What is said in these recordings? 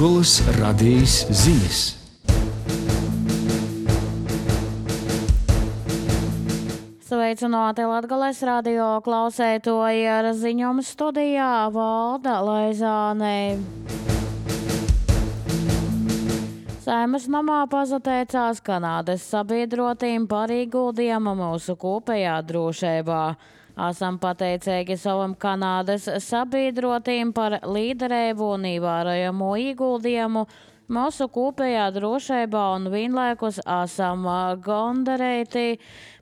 Latgolas radijas ziņas. Sveicināti Latgales radio klausētoji, ar ziņojumu studijā Valda Laizāne. Saeimas namā pazateicās Kanādas sabiedrotīm par ieguldījumu mūsu kopējā drošībā. Esam pateicīgi savam Kanādas sabiedrotīm par līderību un ievērojamo ieguldījumu mūsu kopējā drošībā un vienlaikus esam gandarīti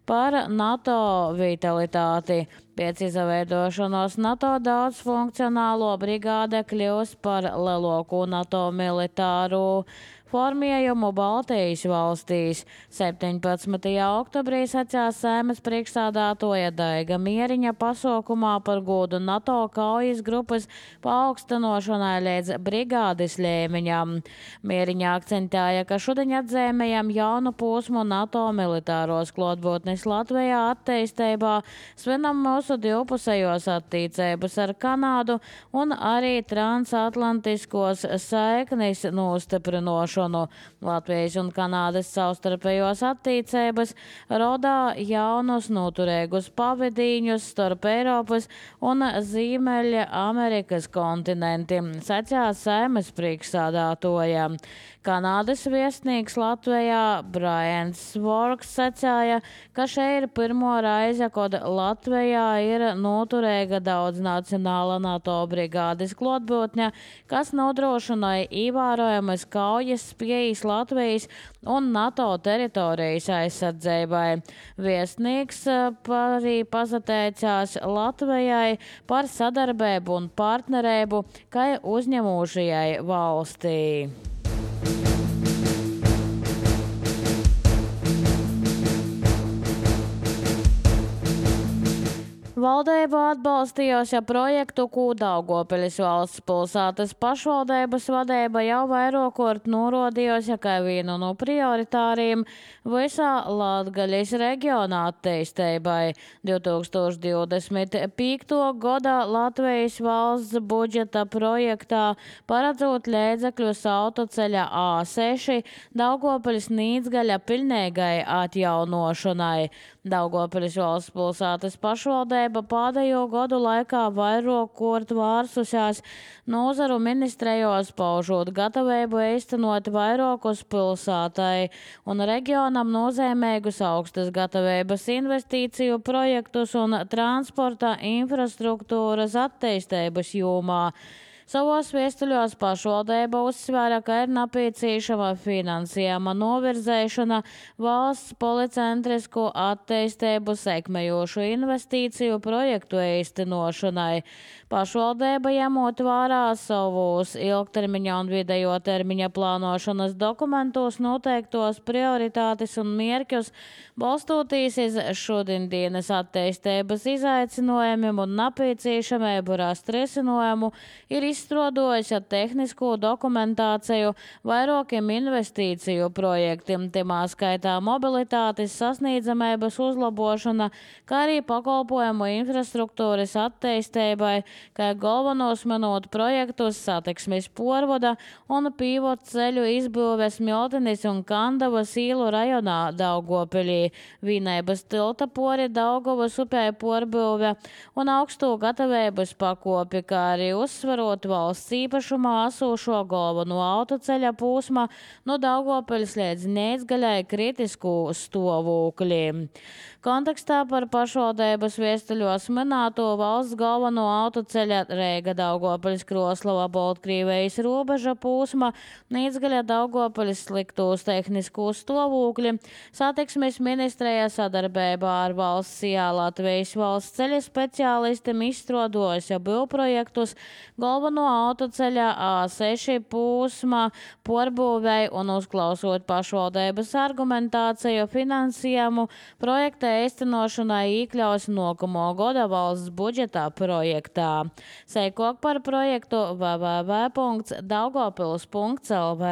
par NATO vitalitāti. Pēc izveidošanos NATO daudzfunkcionālo brigāde kļūs par lielāko NATO militāru formējumu Baltijas valstīs. 17. oktobrī sacījās Saeimas priekšsēdētāja Daiga Mieriņa pasaukumā par godu NATO kaujas grupas paaugstinošanai līdz brigādes līmeņam. Mieriņa akcentēja, ka šodien atzīmējam jaunu posmu NATO militāros klātbūtnes Latvijā attīstībā, svinam mūsu divpusējos attiecības ar Kanādu un arī transatlantiskos saiknis nostiprinošanu. Latvijas un Kanādas savstarpējos attiecības rodā jaunus noturīgus pavadīņus starp Eiropas un Ziemeļa Amerikas kontinentiem, sacījās Saeimas priekšsēdētāja. Kanādas viesnīgs Latvijā Brians Svorks sacīja, ka šeit ir pirmo reize, kad Latvijā ir noturīga daudznacionāla NATO brigādes klātbūtne, kas nodrošināja ievērojamas kaujas spējas Latvijas un NATO teritorijas aizsardzībai. Viesnīgs arī pazateicās Latvijai par sadarbību un partnerību, kā uzņemošajai valstī. Valdība atbalstījusi projektu, ko Daugavpils valsts pilsētas pašvaldības vadība jau vairākort norādījusi kā vienu no prioritāriem visā Latgaļas reģionā attīstībai. 2025. gada Latvijas valsts budžeta projektā paredzot līdzekļus autoceļa A6 Daugavpils-Nīdzgaļa pilnīgai atjaunošanai. Daugavpils valsts pilsētas pašvaldība pēdējo gadu laikā vairākort vērsusies nozaru ministrijos, paužot gatavību īstenot vairākus pilsētai un reģionam nozīmīgus augstas gatavības investīciju projektus un transporta infrastruktūras attīstības jomā. Savos viestuļos pašvaldība uzsvēra, ka ir nepieciešama finansējuma novirzēšana valsts policentrisku attīstību sekmējošu investīciju projektu īstenošanai. Pašvaldība ņemot vērā savus ilgtermiņa un vidējo termiņa plānošanas dokumentos noteiktos prioritātes un mērķus, balstoties uz šodienas attīstības izaicinājumiem un nepieciešamību rast risinājumu, ir izstrādājusi tehnisko dokumentāciju vairākiem investīciju projektiem, timā skaitā mobilitātes sasniedzamības uzlabošana, kā arī pakalpojumu infrastruktūras attīstībai, kā galvenos minot projektus satiksmes porvada un pīvot ceļu izbūves Miltenis un Kandavas īlu rajonā Daugavpilī, Vīnēbas tilta pori Daugavas upē porbūve un augstu gatavības pakopi, kā arī uzsvarot valsts īpašumā esošo galveno autoceļa posma no Daugavpils līdz Nīdzgaļai kritisku stāvokli. Kontekstā par pašvaldības viestuļos minēto valsts galveno autoceļa Reiga Daugavpils Kroslava Baltkrievijas robeža posma Nīdzgaļa Daugavpils sliktos tehniskos stāvokļi, satiksmes ministrija sadarbībā ar valsts Latvijas valsts ceļa speciālistiem izstrādājusi būvprojektus galveno autoceļa A6 posma porbūvei un uzklausot pašvaldības argumentāciju finansējumu projekta īstenošanai iekļaus nākamo gada valsts budžeta projektā. Seikok par projektu www.daugavpils.lv.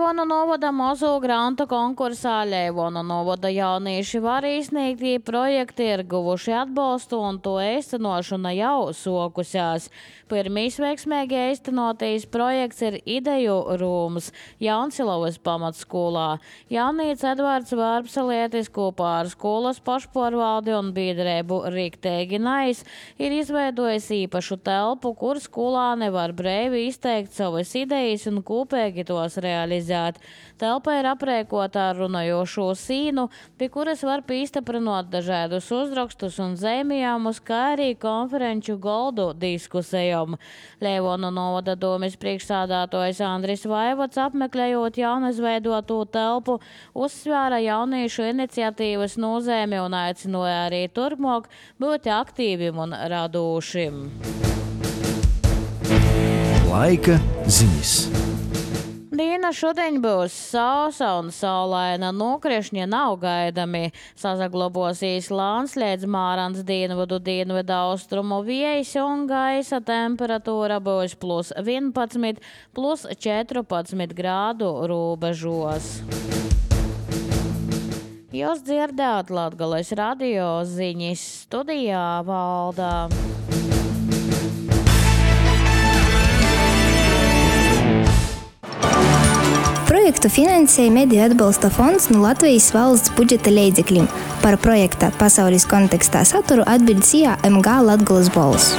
Leivona novada mazo grantu konkursā Leivona novada jaunieši var izsniegtī projekti ir guvuši atbalstu un to īstenošana jau sokusās. Pirmīs veiksmīgi īstenotīs projekts ir Ideju rūms Jaunsilavas pamatskolā. Jaunīts Edvards Vārpsalietis kopā ar skolas pašpārvaldi un biedrību Riktīgi Nais ir izveidojis īpašu telpu, kur skolāni var brīvi izteikt savas idejas un kopīgi tos realizēt. Telpa ir aprēkota ar runājošo sīnu, pie kuras var pīstaprinot dažādus uzrakstus un zīmējumus, kā arī konferenču goldu diskusijām. Leivona novada domes priekšsādātojs Andris Vaivods, apmeklējot jaunizveidoto telpu, uzsvēra jauniešu iniciatīvas nozīmi un aicināja arī turpmāk būt aktīviem un radošiem. Laika ziņas. Diena šodien būs sausa un saulaina, nokrišņi nav gaidami. Sasaglabosīs Landslēdz Mārans dienvidu austrumu vējs un gaisa temperatūra būs +11, +14 grādu robežos. Jūs dzirdējāt Latgales radio ziņas, studijā Valdā. Projektu finansēja Mediju atbalsta fonds no Latvijas valsts budžeta līdzekļiem. Par projekta pasaules kontekstā saturu atbild CIA MG Latgales balss.